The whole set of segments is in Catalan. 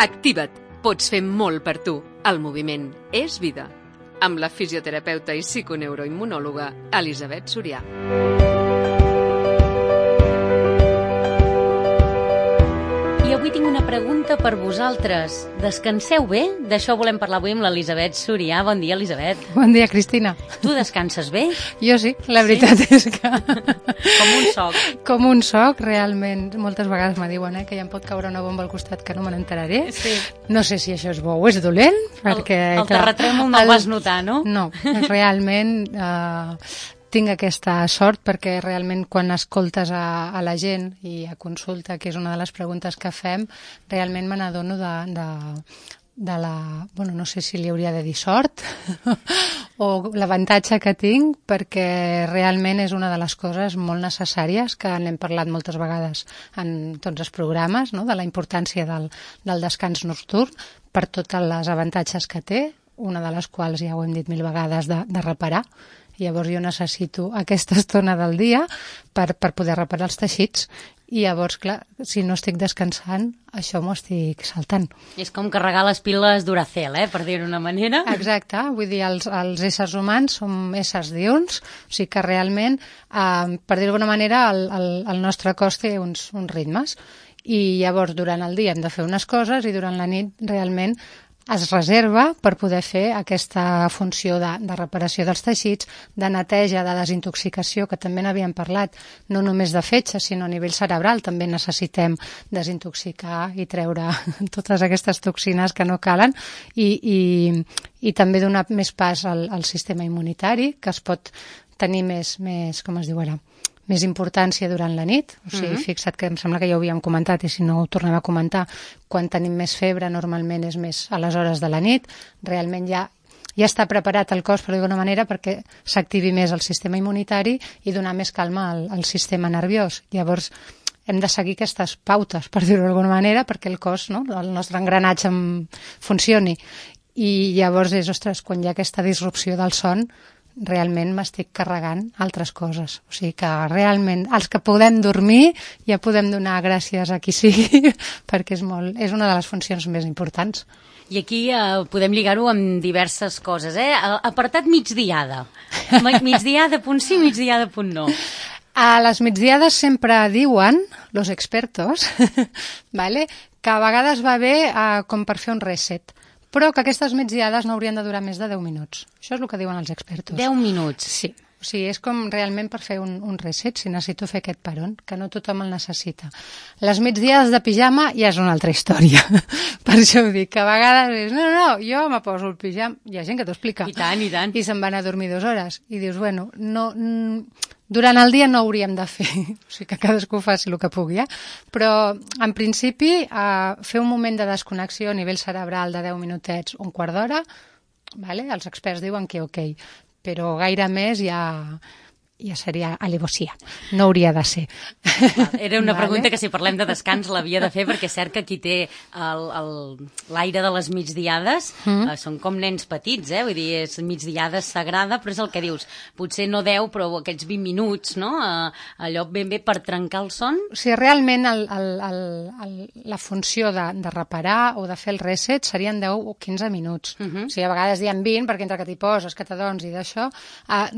Activa't. Pots fer molt per tu. El moviment és vida. Amb la fisioterapeuta i psiconeuroimmunòloga Elisabet Sorià. I avui tinc una pregunta per vosaltres. Descanseu bé? D'això volem parlar avui amb l'Elisabet Sorià. Bon dia, Elisabet. Bon dia, Cristina. Tu descanses bé? Jo sí, la veritat és que... Com un soc. Com un soc, realment. Moltes vegades me diuen que ja em pot caure una bomba al costat que no me n'enteraré. Sí. No sé si això és bo o és dolent, perquè... El terratrèmol no el vas notar, no? No, realment... tinc aquesta sort perquè realment quan escoltes a la gent i a consulta, que és una de les preguntes que fem, realment me n'adono de la... Bueno, no sé si li hauria de dir sort o l'avantatge que tinc, perquè realment és una de les coses molt necessàries que n'hem parlat moltes vegades en tots els programes, no? De la importància del descans nocturn per tots els avantatges que té, una de les quals ja ho hem dit 1000 vegades de reparar. Llavors jo necessito aquesta estona del dia per poder reparar els teixits i llavors, clar, si no estic descansant, això m'ho estic saltant. És com carregar les piles Duracell, per dir-ho d'una manera. Exacte, vull dir, els éssers humans som éssers diürns, o sigui que realment, per dir-ho d'alguna manera, el nostre cos té uns ritmes i llavors durant el dia hem de fer unes coses i durant la nit realment es reserva per poder fer aquesta funció de reparació dels teixits, de neteja, de desintoxicació, que també n'havíem parlat, no només de fetge, sinó a nivell cerebral. També necessitem desintoxicar i treure totes aquestes toxines que no calen i també donar més pas al sistema immunitari, que es pot tenir més com es diu ara, més importància durant la nit. O sigui, fixa't que em sembla que ja ho havíem comentat i si no ho tornem a comentar, quan tenim més febre normalment és més a les hores de la nit, realment ja està preparat el cos, per dir-ho d'alguna manera, perquè s'activi més el sistema immunitari i donar més calma al sistema nerviós. Llavors hem de seguir aquestes pautes, per dir-ho d'alguna manera, perquè el cos, no? El nostre engranatge funcioni. I llavors és, ostres, quan hi ha aquesta disrupció del son, realment m'estic carregant altres coses. O sigui que realment els que podem dormir ja podem donar gràcies a qui sigui perquè és una de les funcions més importants. I aquí podem lligar-ho amb diverses coses, Apartat migdiada. Migdiada punt sí, migdiada punt no. A les migdiades sempre diuen, los expertos, vale, que a vegades va bé com per fer un reset, però que aquestes migdiades no haurien de durar més de 10 minuts. Això és el que diuen els expertos. 10 minuts? Sí. O sigui, és com realment per fer un reset, si necessito fer aquest peron, que no tothom el necessita. Les migdiades de pijama ja és una altra història. Per això ho dic, que a vegades és, no, jo me poso el pijama. Hi ha gent que t'ho explica. I tant, i tant. I se'n van a dormir 2 hores. I dius, bueno, no... Durant el dia no hauríem de fer, o sigui que cadascú faci el que pugui, però en principi fer un moment de desconnexió a nivell cerebral de 10 minutets, un quart d'hora, vale? Els experts diuen que ok, però gaire més ja seria alevosía, no hauria de ser. Era una pregunta que si parlem de descans l'havia de fer, perquè és cert que qui té l'aire de les migdiades són com nens petits, vull dir, és migdiada sagrada, però és el que dius, potser no 10, però aquests 20 minuts, no? Allò ben bé per trencar el son. O sigui, realment la funció de reparar o de fer el reset serien 10 o 15 minuts. O sigui, a vegades diem 20, perquè entre que t'hi poses, que t'adones i d'això,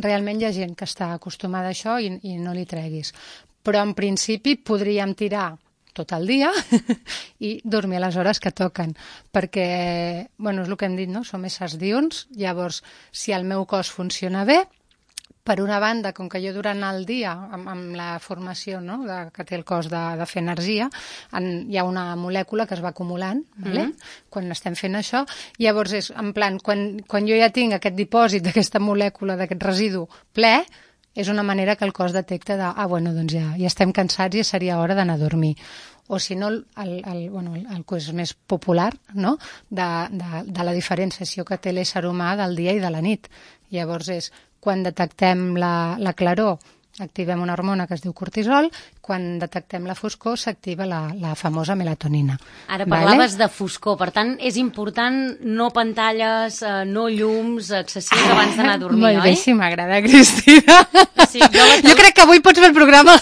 realment hi ha gent que està acostumada a això i no li treguis. Però en principi podríem tirar tot el dia i dormir a les hores que toquen, perquè, bueno, és el que hem dit, no? Som éssers diürns, llavors, si el meu cos funciona bé, per una banda, com que jo durant el dia, amb la formació, no?, que té el cos de fer energia, hi ha una molècula que es va acumulant, vale? Quan estem fent això, llavors és, en plan, quan jo ja tinc aquest dipòsit d'aquesta molècula, d'aquest residu ple, és una manera que el cos detecta bueno, doncs ja estem cansats i seria hora d'anar a dormir. O si no, el que és més popular, no?, de la diferenciació que té l'ésser humà del dia i de la nit. Llavors és, quan detectem la claror, activem una hormona que es diu cortisol, quan detectem la foscor s'activa la famosa melatonina. Ara parlaves de foscor, per tant és important no pantalles, no llums excessius abans d'anar a dormir, oi? Molt bé, sí, m'agrada, Cristina. Sí, jo crec que avui pots fer el programa.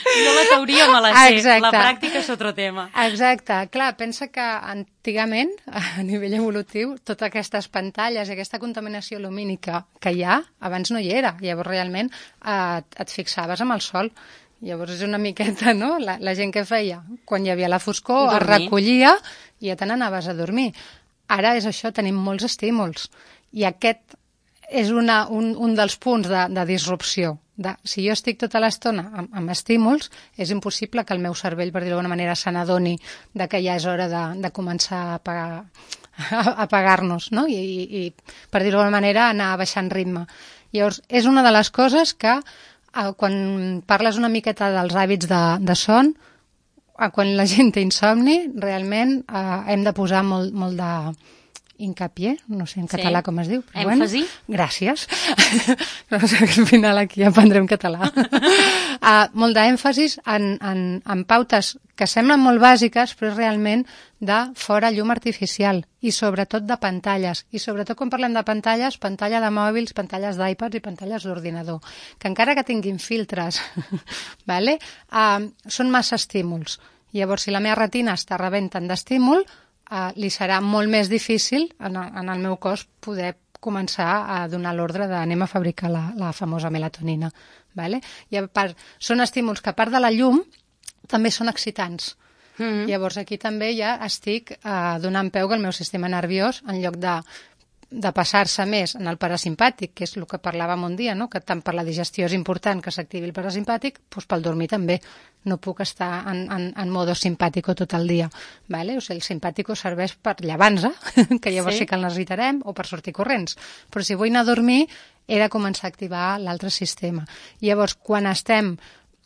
Jo la teoria me la sé, la pràctica és otro tema. Exacte. Clar, pensa que antigament, a nivell evolutiu, totes aquestes pantalles i aquesta contaminació lumínica que hi ha, abans no hi era. Llavors, realment, et fixaves amb el sol. Llavors, és una miqueta, no?, la gent que feia. Quan hi havia la foscor, es recollia i ja te n'anaves a dormir. Ara és això, tenim molts estímuls. I aquest és un dels punts de disrupció. Si jo estic tota l'estona amb estímuls, és impossible que el meu cervell, per dir-ho d'alguna manera, se n'adoni que ja és hora de començar a apagar-nos, no? I per dir-ho d'alguna manera, anar baixant ritme. Llavors, és una de les coses que, quan parles una miqueta dels hàbits de son, quan la gent té insomni, realment hem de posar molt de hincapié, no sé en català com es diu. Però èmfasi. Bueno, gràcies. No sé, al final aquí aprendrem català. Molt d'èmfasis en pautes que semblen molt bàsiques, però és realment de fora llum artificial i sobretot de pantalles. I sobretot quan parlem de pantalles, pantalla de mòbils, pantalles d'iPads i pantalles d'ordinador, que encara que tinguin filtres, vale? Són massa estímuls. Llavors, si la meva retina està rebent tant d'estímul, li serà molt més difícil en el meu cos poder començar a donar l'ordre d'anem a fabricar la famosa melatonina. Vale? I són estímuls que, a part de la llum, també són excitants. Llavors, aquí també ja estic donant peu que el meu sistema nerviós, en lloc de passar-se més en el parasimpàtic, que és el que parlàvem un dia, no? Que tant per la digestió és important que s'activi el parasimpàtic, doncs pel dormir també. No puc estar en modo simpàtico tot el dia. Vale? O sigui, el simpàtico serveix per llevar-nos, que llavors sí que el necessitarem, o per sortir corrents. Però si vull anar a dormir, he de començar a activar l'altre sistema. Llavors, quan estem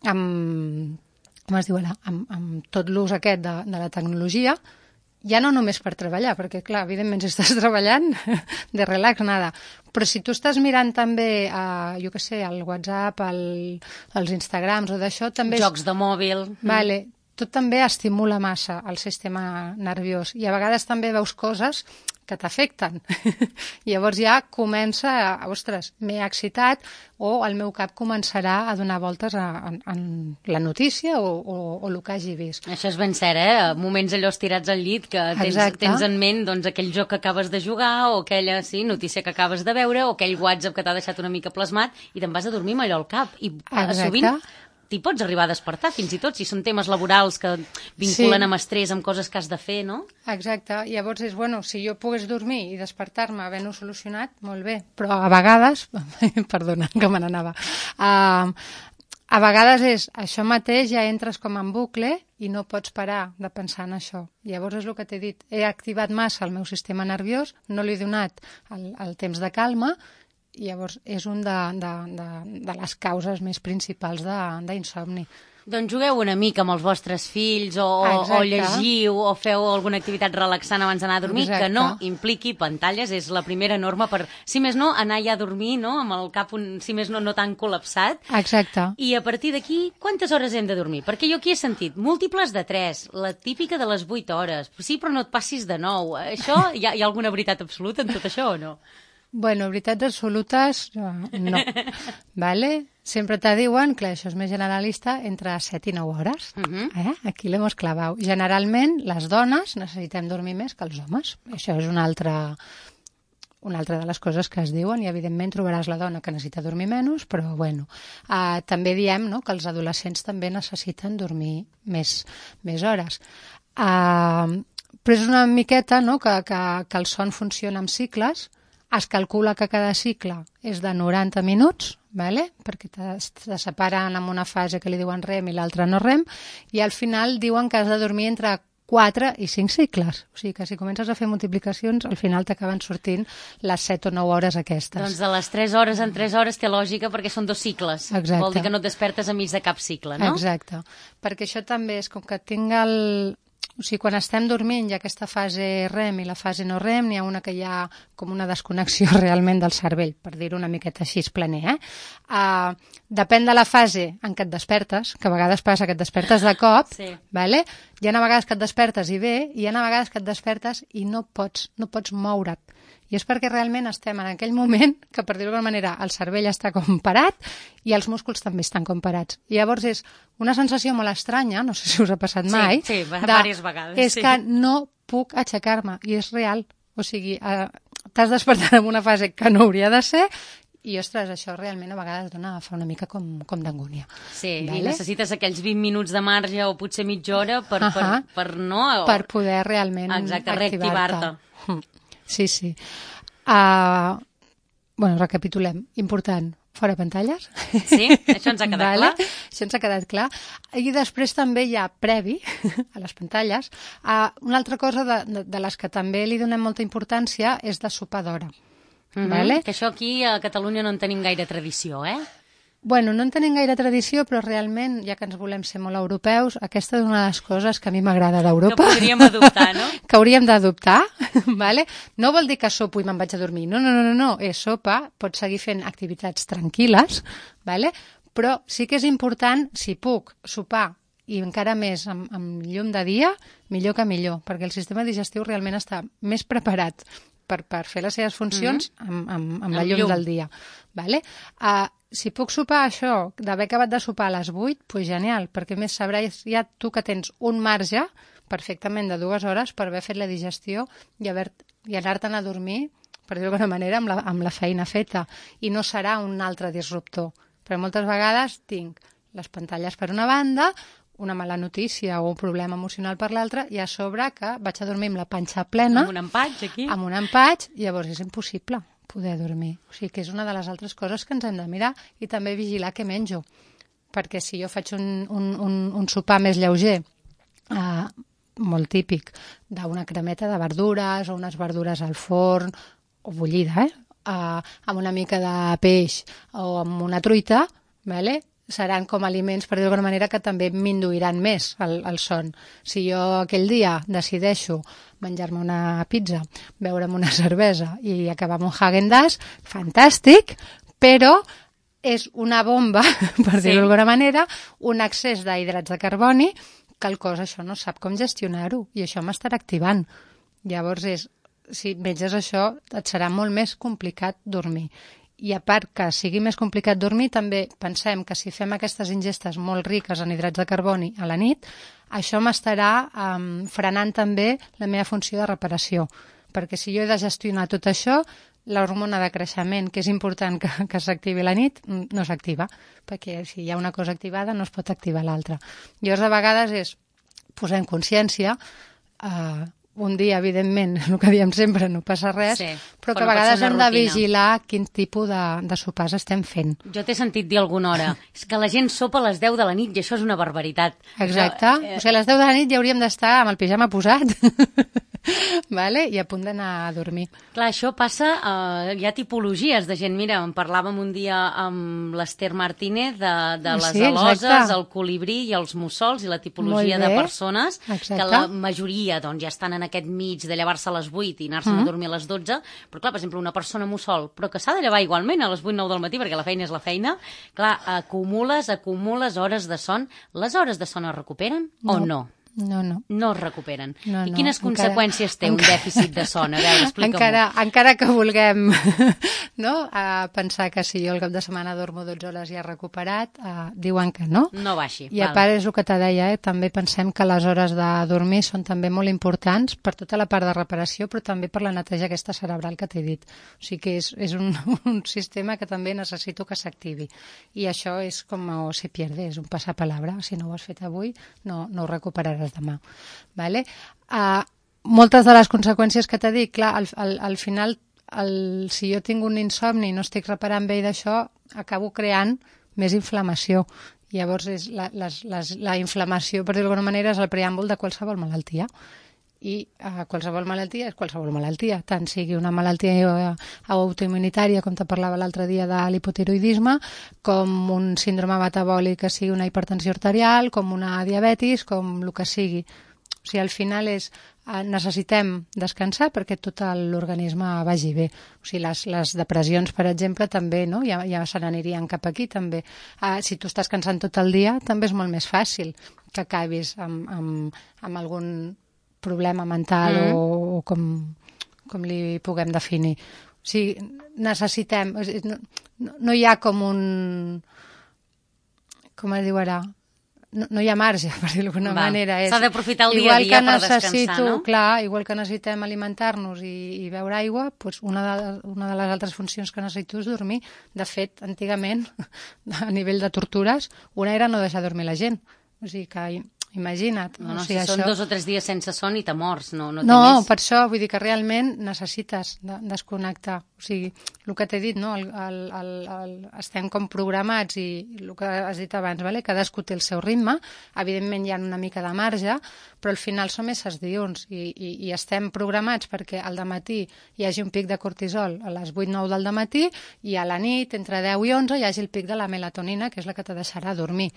amb tot l'ús aquest de la tecnologia, ja no només per treballar, perquè, clar, evidentment, si estàs treballant, de relax, nada. Però si tu estàs mirant també, jo què sé, el WhatsApp, els Instagrams o d'això, també... Jocs de mòbil. Vale, tot també estimula massa el sistema nerviós. I a vegades també veus coses que t'afecten. Llavors ja comença ostres, m'he excitat, o el meu cap començarà a donar voltes en la notícia o el que hagi vist. Això és ben cert, moments allò estirats al llit que tens en ment doncs, aquell joc que acabes de jugar o aquella notícia que acabes de veure o aquell WhatsApp que t'ha deixat una mica plasmat i te'n vas a dormir amb allò al cap. I sovint t'hi pots arribar a despertar, fins i tot, si són temes laborals que vinculen amb estrès, amb coses que has de fer, no? Exacte. Llavors és, bueno, si jo pogués dormir i despertar-me havent-ho solucionat, molt bé. Però a vegades... Perdona, que me n'anava. A vegades és això mateix, ja entres com en bucle i no pots parar de pensar en això. Llavors és el que t'he dit. He activat massa el meu sistema nerviós, no li he donat el temps de calma, i llavors és un de les causes més principals d'insomni. Doncs jugueu una mica amb els vostres fills o llegiu o feu alguna activitat relaxant abans d'anar a dormir. Exacte. Que no impliqui pantalles, és la primera norma per, si més no, anar ja a dormir, no? Amb el cap, si més no tan col·lapsat. Exacte. I a partir d'aquí, quantes hores hem de dormir? Perquè jo aquí he sentit múltiples de 3, la típica de les 8 hores. Sí, però no et passis de 9. Això, hi ha alguna veritat absoluta en tot això o no? Bueno, veritats absolutes, no. Vale? Sempre te diuen, clar, això és més generalista, entre 7 i 9 hores. Aquí l'hem clavat. Generalment, les dones necessitem dormir més que els homes. Això és una altra de les coses que es diuen, i evidentment trobaràs la dona que necessita dormir menys, però bueno. També diem, no?, que els adolescents també necessiten dormir més hores. Però és una miqueta, no?, que el son funciona amb cicles. Es calcula que cada cicle és de 90 minuts, vale? Perquè te separen en una fase que li diuen REM i l'altra no REM, i al final diuen que has de dormir entre 4 i 5 cicles. O sigui que si comences a fer multiplicacions, al final t'acaben sortint les 7 o 9 hores aquestes. Doncs de les 3 hores en 3 hores té lògica perquè són 2 cicles. Exacte. Vol dir que no et despertes a mig de cap cicle, no? Exacte. Perquè això també és com que tinc O sigui, quan estem dormint hi ha aquesta fase REM i la fase no REM, n'hi ha una que hi ha com una desconnexió realment del cervell, per dir-ho una miqueta així planer. Depèn de la fase en què et despertes, que a vegades passa que et despertes de cop, vale? Hi ha a vegades que et despertes i bé, i hi ha a vegades que et despertes i no pots moure't. I és perquè realment estem en aquell moment que, per dir-ho d'alguna manera, el cervell està com parat i els músculs també estan com parats. I llavors és una sensació molt estranya, no sé si us ha passat mai, sí, diverses vegades. És que no puc aixecar-me, i és real. O sigui, t'has despertat en una fase que no hauria de ser i, ostres, això realment a vegades fa una mica com d'angúnia. Sí, vale? I necessites aquells 20 minuts de marge o potser mitja hora per no... Per poder realment reactivar-te. Sí. Recapitulem. Important, fora pantalles. Sí, això ens ha quedat clar. Això ens ha quedat clar. I després també hi ha previ a les pantalles. Una altra cosa de les que també li donem molta importància és de sopar d'hora. Vale? Que això aquí a Catalunya no en tenim gaire tradició, Bueno, no en tenim gaire tradició, però realment, ja que ens volem ser molt europeus, aquesta és una de les coses que a mi m'agrada d'Europa. Que podríem adoptar, no? Que hauríem d'adoptar, vale? No vol dir que sopo i me'n vaig a dormir. No. És sopa, pots seguir fent activitats tranquil·les, vale? Però sí que és important, si puc, sopar i encara més amb llum de dia, millor que millor, perquè el sistema digestiu realment està més preparat per fer les seves funcions amb la llum del dia. Vale? Si puc sopar això, d'haver acabat de sopar a les 8, doncs genial, perquè més sabràs ja tu que tens un marge perfectament de 2 hores per haver fet la digestió i anar-te'n a dormir, per dir-ho d'alguna manera, amb la feina feta. I no serà un altre disruptor. Però moltes vegades tinc les pantalles per una banda, una mala notícia o un problema emocional per l'altra, i a sobre que vaig a dormir amb la panxa plena. Amb un empatx, aquí. Amb un empatx, llavors és impossible poder dormir. O sigui que és una de les altres coses que ens hem de mirar i també vigilar què menjo. Perquè si jo faig un sopar més lleuger, molt típic, d'una cremeta de verdures o unes verdures al forn, o bullida, amb una mica de peix o amb una truita, vale? Seran com aliments, per dir d'alguna manera, que també m'induiran més el son. Si jo aquell dia decideixo menjar-me una pizza, beure'm una cervesa i acabar amb un Häagen-Dazs, fantàstic, però és una bomba, per dir-ho d'alguna manera, un excés d'hidrats de carboni que el cos això no sap com gestionar-ho i això m'estarà activant. Llavors, si menges això, et serà molt més complicat dormir. I a part que sigui més complicat dormir, també pensem que si fem aquestes ingestes molt riques en hidrats de carboni a la nit, això m'estarà frenant també la meva funció de reparació. Perquè si jo he de gestionar tot això, l'hormona de creixement, que és important que s'activi la nit, no s'activa, perquè si hi ha una cosa activada no es pot activar l'altra. Llavors, a vegades és posar en consciència un dia, evidentment, el que diem sempre, no passa res, però que a vegades hem de vigilar quin tipus de sopars estem fent. Jo t'he sentit dir alguna hora, és que la gent sopa a les 10 de la nit i això és una barbaritat. Exacte, o sigui, a les 10 de la nit ja hauríem d'estar amb el pijama posat, vale? I a punt d'anar a dormir. Clar, això passa, hi ha tipologies de gent, mira, en parlàvem un dia amb l'Ester Martínez de les aloses, el colibrí i els mussols i la tipologia de persones, que la majoria doncs, ja estan en aquest mig de llevar-se a les 8 i anar-se'n a dormir a les 12, però clar, per exemple, una persona mussol, però que s'ha de llevar igualment a les 8-9 del matí, perquè la feina és la feina, clar, acumules hores de son. Les hores de son es recuperen o no? No. No es recuperen. I quines conseqüències té un dèficit de son? A veure, explica-m'ho. Encara que vulguem pensar que si jo el cap de setmana dormo 12 hores i he recuperat, diuen que no. No va així. I a part és el que te deia, també pensem que les hores de dormir són també molt importants per tota la part de reparació, però també per la neteja aquesta cerebral que t'he dit. O sigui que és un sistema que també necessito que s'activi. I això és com se pierde, és un passapalabra. Si no ho has fet avui, no ho recuperaràs demà. Vale? Moltes de les conseqüències que t'he dit, clar, al final, si jo tinc un insomni i no estic reparant bé d'això, acabo creant més inflamació. Llavors, la inflamació, per dir-ho d'alguna manera, és el preàmbul de qualsevol malaltia. I qualsevol malaltia és qualsevol malaltia, tant sigui una malaltia autoimmunitària, com te parlava l'altre dia de l'hipotiroidisme, com un síndrome metabòlic que sigui una hipertensió arterial, com una diabetis, com el que sigui. O sigui, al final necessitem descansar perquè tot l'organisme vagi bé. O sigui, les depressions, per exemple, també, no? Ja se n'anirien cap aquí, també. Si tu estàs cansant tot el dia, també és molt més fàcil que acabis amb algun problema mental o com com li puguem definir. O sigui, necessitem... No hi ha com un... Com es diu ara? No hi ha marge, per dir-ho d'alguna manera. S'ha d'aprofitar el dia a dia per descansar, no? Clar, igual que necessitem alimentar-nos i beure aigua, doncs una de les altres funcions que necessito és dormir. De fet, antigament, a nivell de tortures, una era no deixar dormir la gent. O sigui que... Imagina't. No, si són 2 o 3 dies sense son i te mors, no té més. No, més. Per això, vull dir que realment necessites desconnectar. O sigui, el que t'he dit, no? Estem com programats i el que has dit abans, vale? Cadascú té el seu ritme, evidentment hi ha una mica de marge, però al final som éssers diürns i estem programats perquè al dematí hi hagi un pic de cortisol a les 8-9 del dematí i a la nit, entre 10 i 11, hi hagi el pic de la melatonina, que és la que te deixarà dormir.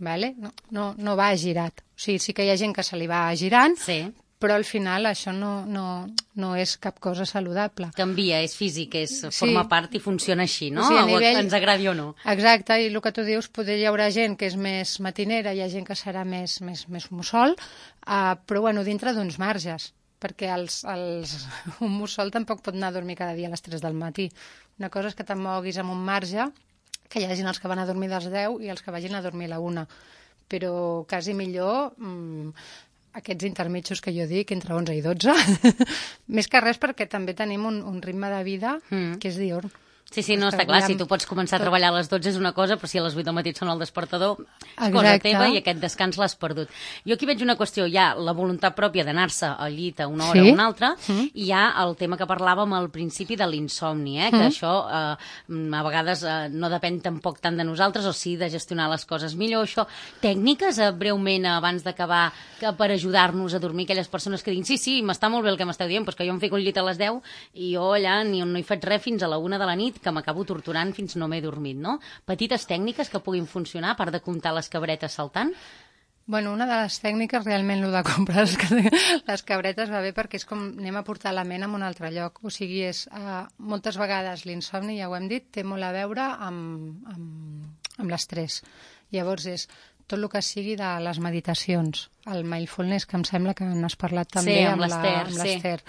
Vale? No va girat. O sigui, sí que hi ha gent que se li va girant, sí, però al final això no és cap cosa saludable. Canvia, és físic, forma part i funciona així, no? O sigui, nivell... ens agradi o no. Exacte, i el que tu dius, poder hi haurà gent que és més matinera, hi ha gent que serà més mussol, però bueno, dintre d'uns marges, perquè un mussol tampoc pot anar a dormir cada dia a les 3 del matí. Una cosa és que te'n moguis amb un marge, que hi hagi els que van a dormir a les 10 i els que vagin a dormir a la 1. Però quasi millor aquests intermitjos que jo dic, entre 11 i 12, més que res perquè també tenim un ritme de vida que és diürn. Sí, no, està clar, si tu pots començar a treballar a les 12 és una cosa, però si a les 8 del matí et sona el despertador, és cosa teva i aquest descans l'has perdut. Jo aquí veig una qüestió, hi ha la voluntat pròpia d'anar-se al llit a una hora o una altra, i hi ha el tema que parlàvem al principi de l'insomni, que això a vegades no depèn tampoc tant de nosaltres, o sí de gestionar les coses millor. Això, tècniques, breument, abans d'acabar, per ajudar-nos a dormir, aquelles persones que diguin sí, m'està molt bé el que m'esteu dient, però que jo em fico un llit a les 10 i jo allà no hi faig res fins a la 1 de la nit, que m'acabo torturant fins no m'he dormit, no? Petites tècniques que puguin funcionar, a part de comptar les cabretes saltant? Bueno, una de les tècniques, realment, el de comprar les cabretes va bé perquè és com anem a portar la ment a un altre lloc. O sigui, moltes vegades l'insomni, ja ho hem dit, té molt a veure amb l'estrès. Llavors és tot el que sigui de les meditacions, el mindfulness, que em sembla que n'has parlat també amb l'Ester.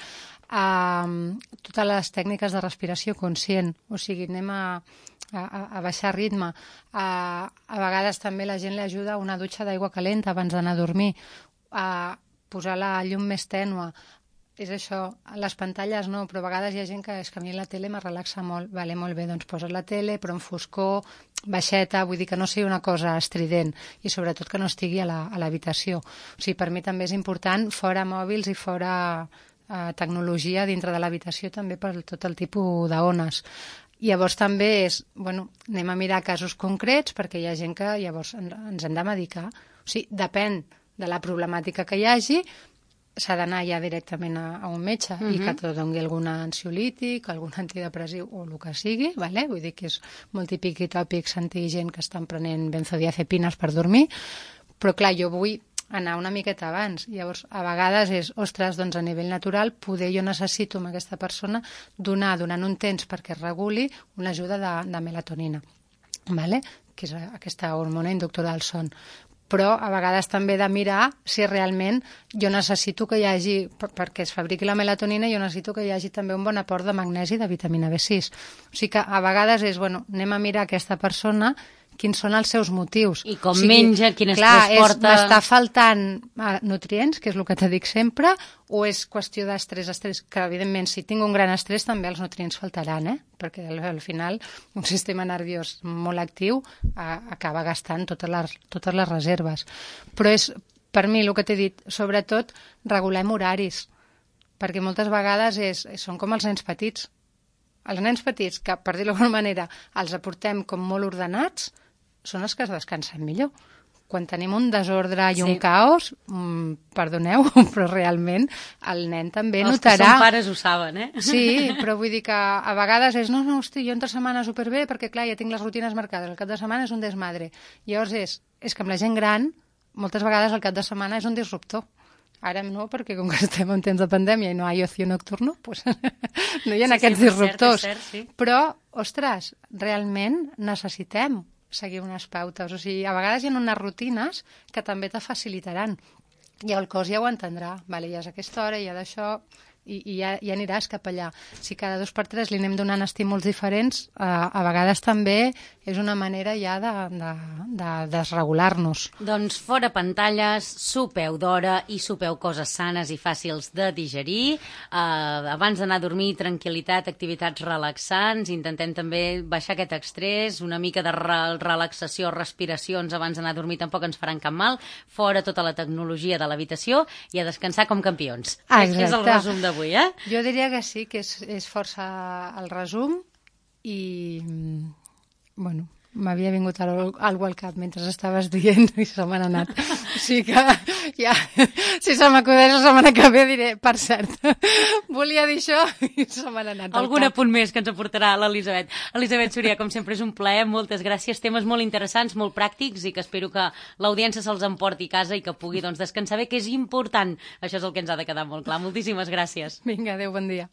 Totes les tècniques de respiració conscient, o sigui, anem a baixar ritme. A vegades també la gent li ajuda una dutxa d'aigua calenta abans d'anar a dormir, a posar la llum més tènue. És això, les pantalles no, però a vegades hi ha gent que és que a mi la tele me relaxa molt. Vale, molt bé, doncs poses la tele, però en foscor, baixeta, vull dir que no sigui una cosa estrident i sobretot que no estigui a l'habitació. O sigui, per mi també és important, fora mòbils i fora tecnologia dintre de l'habitació també per tot el tipus d'ones. Llavors també és, anem a mirar casos concrets perquè hi ha gent que llavors ens hem de medicar. O sigui, depèn de la problemàtica que hi hagi, s'ha d'anar ja directament a un metge i que te doni algun ansiolític, algun antidepressiu o el que sigui, vale? Vull dir que és molt típic i tòpic sentir gent que estan prenent benzodiazepines per dormir, però clar, jo vull anar una miqueta abans. Llavors, a vegades és, ostres, doncs a nivell natural, poder jo necessito amb aquesta persona donant un temps perquè es reguli una ajuda de melatonina, vale? Que és aquesta hormona inductora del son. Però a vegades també de mirar si realment jo necessito que hi hagi, perquè es fabriqui la melatonina, jo necessito que hi hagi també un bon aport de magnesi i de vitamina B6. O sigui que a vegades és, anem a mirar aquesta persona quins són els seus motius. I com menja, quin estrès porta... M'està faltant nutrients, que és el que te dic sempre, o és qüestió d'estrès, que evidentment si tinc un gran estrès també els nutrients faltaran, perquè al final un sistema nerviós molt actiu acaba gastant totes les reserves. Però és, per mi, el que t'he dit, sobretot regulem horaris, perquè moltes vegades són com els nens petits. Els nens petits, que per dir-ho d'alguna manera els aportem com molt ordenats, són els que es descansen millor. Quan tenim un desordre i un caos, perdoneu, però realment el nen també notarà... Els que són pares ho saben, Sí, però vull dir que a vegades és hosti, jo entre setmana superbé perquè clar, ja tinc les rutines marcades, el cap de setmana és un desmadre. Llavors és que amb la gent gran, moltes vegades el cap de setmana és un disruptor. Ara no, perquè com que estem en temps de pandèmia i no hi ha ocio nocturno, doncs no hi ha aquests disruptors. Sí. Però, ostres, realment necessitem seguir unes pautes. O sigui, a vegades hi ha unes rutines que també te facilitaran. I el cos ja ho entendrà. Vale, ja és aquesta hora, ja d'això... i ja aniràs cap allà. Si cada 2 per 3 li anem donant estímuls diferents, a vegades també és una manera ja de desregular-nos. Doncs fora pantalles, sopeu d'hora i sopeu coses sanes i fàcils de digerir. Abans d'anar a dormir, tranquil·litat, activitats relaxants. Intentem també baixar aquest estrès, una mica de relaxació, respiracions abans d'anar a dormir tampoc ens faran cap mal. Fora tota la tecnologia de l'habitació i a descansar com campions. Exacte. És el resum d'avui, eh? Jo diria que sí, que és força el resum i, bueno, m'havia vingut algú al cap mentre estaves dient i se m'ha anat. O sigui que ja, si se m'acudeix la setmana que ve diré, per cert, volia dir això i se m'ha anat. Algun apunt més que ens aportarà l'Elisabet. Elisabet Súria, com sempre és un plaer, moltes gràcies. Temes molt interessants, molt pràctics i que espero que l'audiència se'ls emporti a casa i que pugui descansar bé, que és important. Això és el que ens ha de quedar molt clar. Moltíssimes gràcies. Vinga, adéu, bon dia.